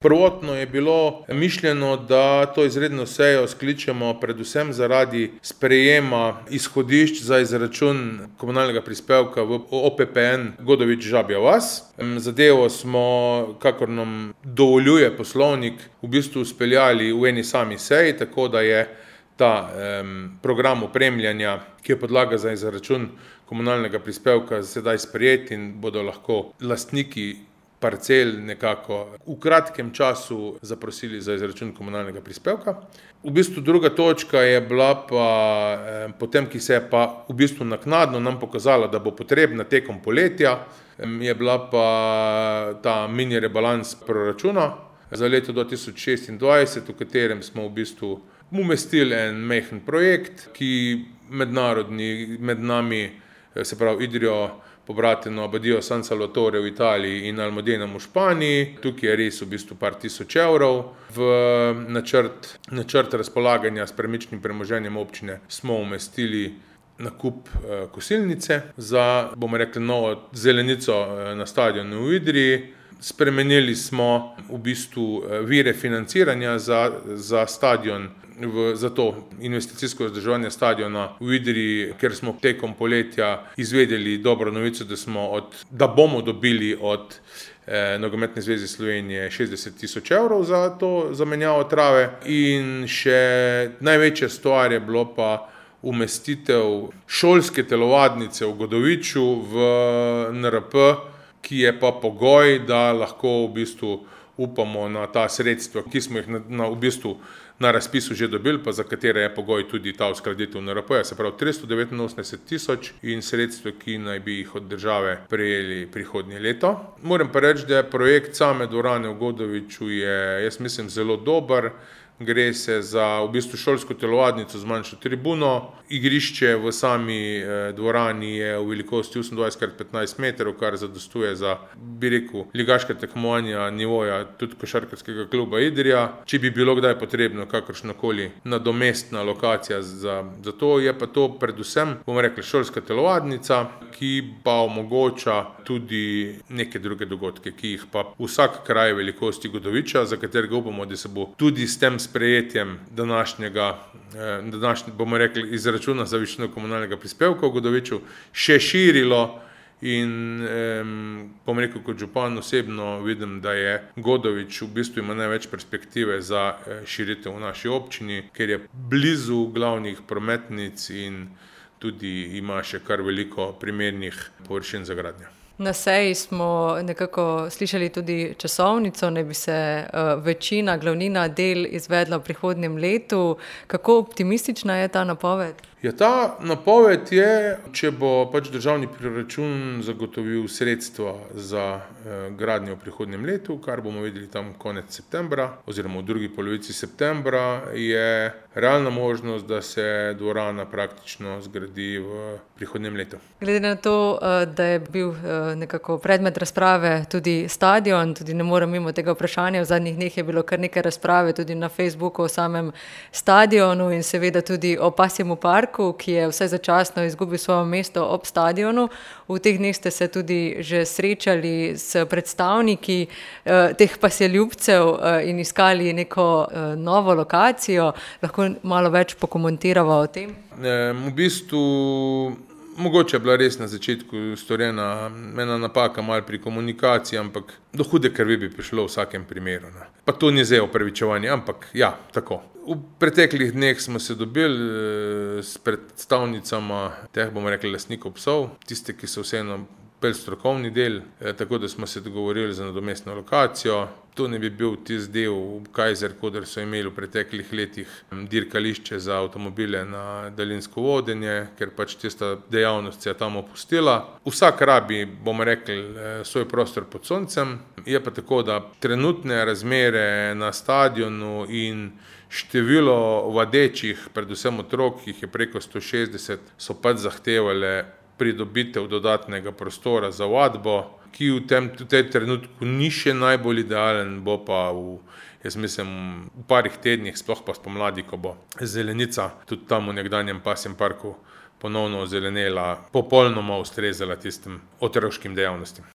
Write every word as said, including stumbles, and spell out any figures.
Prvotno je bilo mišljeno, da to izredno sejo skličemo predvsem zaradi sprejema izhodišč za izračun komunalnega prispevka v O P P N Godovič-Žabja vas. Zadevo smo, kakor nam dovoljuje poslovnik, v bistvu speljali v eni sami seji, tako da je ta um, program opremljanja, ki je podlaga za izračun komunalnega prispevka, sedaj sprejet in bodo lahko lastniki parcel nekako v kratkem času zaprosili za izračun komunalnega prispevka. V bistvu druga točka je bila pa eh, potem, ki se je pa v bistvu naknadno nam pokazala, da bo potrebna tekom poletja, eh, je bila pa ta mini rebalans proračuna za leto dva tisoč šestindvajset, v katerem smo v bistvu umestili en majhen projekt, ki mednarodni, med nami, se pravi Idrijo, pobrateno Abadijo San Salvatore v Italiji in Almudenom v Španiji. Tukaj je res v bistvu par tisoč evrov. V načrt, načrt razpolaganja s premičnim premoženjem občine smo umestili nakup eh, kosilnice za, bomo rekli, novo zelenico eh, na stadionu v Idriji. Spremenili smo v bistvu vire financiranja za, za stadion, v, za to investicijsko vzdrževanje stadiona v Idriji, ker smo tekom poletja izvedeli dobro novico, da, smo od, da bomo dobili od eh, Nogometne zveze Slovenije šestdeset tisoč evrov za to zamenjavo trave. In še največja stvar je bilo pa umestitev šolske telovadnice v Godoviču v N R P, ki je pa pogoj, da lahko v bistvu upamo na ta sredstva, ki smo jih na, na, v bistvu na razpisu že dobili, pa za katere je pogoj tudi ta uskladitev N R P, se pravi tristo devetinosemdeset tisoč in sredstva, ki naj bi jih od države prejeli prihodnje leto. Moram pa reči, da je projekt same dvorane v Godoviču je, jaz mislim, zelo dober. Gre se za v bistvu šolsko telovadnico z manjšo tribuno. Igrišče v sami eh, dvorani je v velikosti osemindvajset krat petnajst metrov, kar zadostuje za, bi rekel, ligaška tekmovanja nivoja tudi košarkarskega kluba Idrija. Če bi bilo kdaj potrebno kakršnakoli nadomestna lokacija za, za to, je pa to predvsem, bomo rekli, šolska telovadnica, ki pa omogoča tudi neke druge dogodke, ki jih pa vsak kraj velikosti Godoviča, za katerega upamo, da se bo tudi s tem sprejetjem današnjega, eh, današnje, bomo rekli, izračuna za višino komunalnega prispevka v Godoviču še širilo in eh, bom rekel, kot župan osebno vidim, da je Godovič v bistvu ima največ perspektive za eh, širitev v naši občini, ker je blizu glavnih prometnic in tudi ima še kar veliko primernih površin za gradnjo. Na seji smo nekako slišali tudi časovnico, ne bi se uh, večina, glavnina del izvedla v prihodnjem letu. Kako optimistična je ta napoved? Ja, ta napoved je, če bo pač državni proračun zagotovil sredstva za eh, gradnjo v prihodnjem letu, kar bomo videli tam konec septembra oziroma v drugi polovici septembra, je realna možnost, da se dvorana praktično zgradi v prihodnjem letu. Glede na to, da je bil nekako predmet razprave tudi stadion, tudi ne morem mimo tega vprašanja, v zadnjih dneh je bilo kar nekaj razprave tudi na Facebooku o samem stadionu in seveda tudi o pasjemu parku, ki je vsaj začasno izgubil svoje mesto ob stadionu. V teh dneh ste se tudi že srečali s predstavniki eh, teh pasjeljubcev eh, in iskali neko eh, novo lokacijo. Lahko malo več pokomentirava o tem? E, v bistvu mogoče je bila res na začetku storjena ena napaka malo pri komunikaciji, ampak do hude krvi bi prišlo v vsakem primeru. Ne. Pa to ni zdaj opravičevanje, ampak ja, tako. V preteklih dneh smo se dobili s predstavnicama teh, bomo rekli, lastnikov psov, tiste, ki so vseeno pel strokovni del, tako da smo se dogovorili za nadomestno lokacijo. To ne bi bil tisti del Kajzer, kodar so imeli v preteklih letih dirkališče za avtomobile na daljinsko vodenje, ker pač tista dejavnost se je tam opustila. Vsak rabi, bomo rekli, svoj prostor pod soncem. Je pa tako, da trenutne razmere na stadionu in število vadečih, predvsem otrok, jih je preko sto šestdeset, so pač zahtevale pridobitev dodatnega prostora za vadbo, ki v tem, v tem trenutku ni še najbolj idealen, bo pa v, jaz mislim, v parih tednih, sploh pa spomladi, ko bo zelenica tudi tam v nekdanjem pasjem parku ponovno ozelenela, popolnoma ustrezala tistim otroškim dejavnostim.